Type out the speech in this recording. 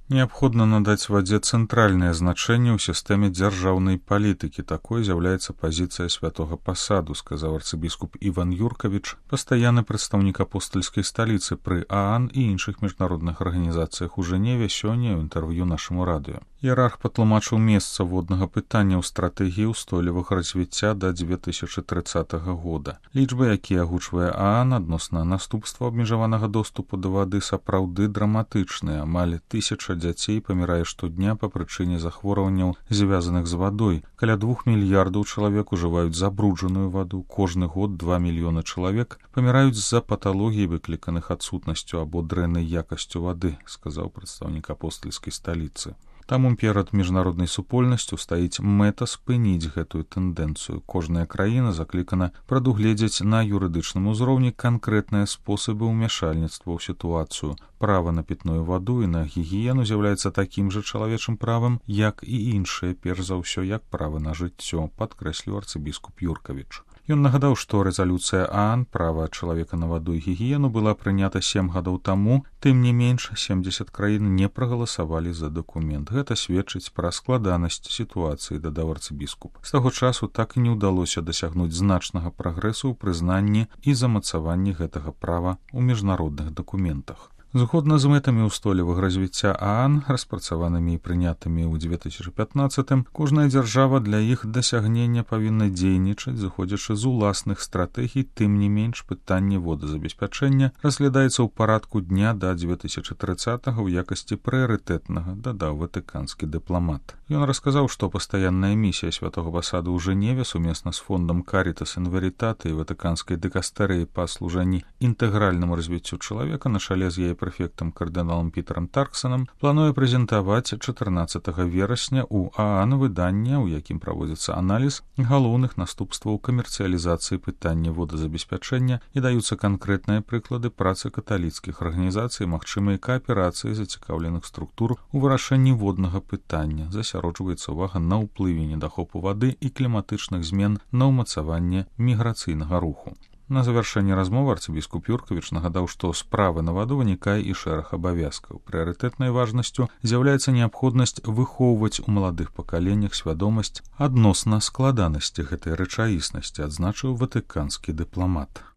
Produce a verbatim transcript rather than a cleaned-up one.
Неабходна надаць вадзе цэнтральнае значэнне ў сістэме дзяржаўнай палітыкі. Такой з'яўляецца пазіцыя святога пасаду, сказаў арцыбіскуп Іван Юркавіч, пастаянны прадстаўнік апостальскай сталіцы пры ААН і іншых міжнародных арганізацыях у Жэневе сёння ў інтэрв'ю нашаму радыё. Іерарх патлумачыў месца воднага пытання ў стратэгіі ўстойлівага развіцця да дзве тысячы трыццатага года. Лічбы, якія агучвае ААН адносна наступства абмежаванага доступу да вады, сапраўды драматычныя. Амаль тысяча дзяцей памірае штодня па прычыне захворванняў, звязаных з вадой. Каля двух мільярдаў чалавек ужываюць забруджаную ваду. Кожны год два мільёны чалавек паміраюць з-за паталогій, выкліканых адсутнасцю або дрэннай якасцю вады, сказаў прадстаўнік апостальскай сталіцы. Таму перад міжнароднай супольнасцю стаіць мэта спыніць гэтую тэндэнцыю. Кожная краіна заклікана прадугледзець на юрыдычным узроўні канкрэтныя спосабы ўмяшальніцтва ў сітуацыю. Права на пітную ваду і на гігіену з'яўляецца такім жа чалавечым правам, як і іншыя, перш за ўсё, як права на жыццё, падкрэсліў арцыбіскуп Юркавіч. Ён нагадаў, што рэзалюцыя ААН «Права чалавека на ваду і гігіену» была прынята сем гадоў таму, тым не менш семдзесят краін не прагаласавалі за дакумент. Гэта сведчыць пра складанасць сітуацыі, дадаў арцыбіскуп. З таго часу так і не ўдалося дасягнуць значнага прагрэсу ў прызнанні і замацаванні гэтага права ў міжнародных дакументах. Згодна з мэтамі ўстойлівага развіцця ААН, распрацаванымі і прынятымі ў дзве тысячы пятнаццатым, кожная дзяржава для іх дасягнення павінна дзейнічаць, зыходзячы з уласных стратэгій. Тым не менш, пытанне водазабеспячэння разглядаецца ў парадку дня да дзве тысячы трыццатага ў якасці прыярытэтнага, дадаў ватыканскі дыпламат. Ён расказаў, што пастаянная місія святога пасаду ў Жэневе сумесна з фондам Caritas in Veritate і ватыканскай дыкастэрыяй па служанні інтэгральнаму развіццю чалавека на чале з яе прэфектам кардыналам Пітерам Тарксанам плануе прэзентаваць чатырнаццатага верасня ў ААН выданне, у якім праводзіцца аналіз галоўных наступстваў камерцыялізацыі пытання водазабеспячэння і даюцца канкрэтныя прыклады працы каталіцкіх арганізацый, магчымай кааперацыі зацікаўленых структур у вырашэнні воднага пытання. Засяроджваецца ўвага на ўплыве недахопу вады і кліматычных змен на ўмацаванне міграцыйнага руху. На завяршэнне размовы арцыбіскуп Юркавіч нагадаў, што справы на ваду вынікае і шэраг абавязкаў. Прыярытэтнай важнасцю з'яўляецца неабходнасць выхоўваць у маладых пакаленнях свядомасць адносна складанасці гэтай рэчаіснасці, адзначыў ватыканскі дыпламат.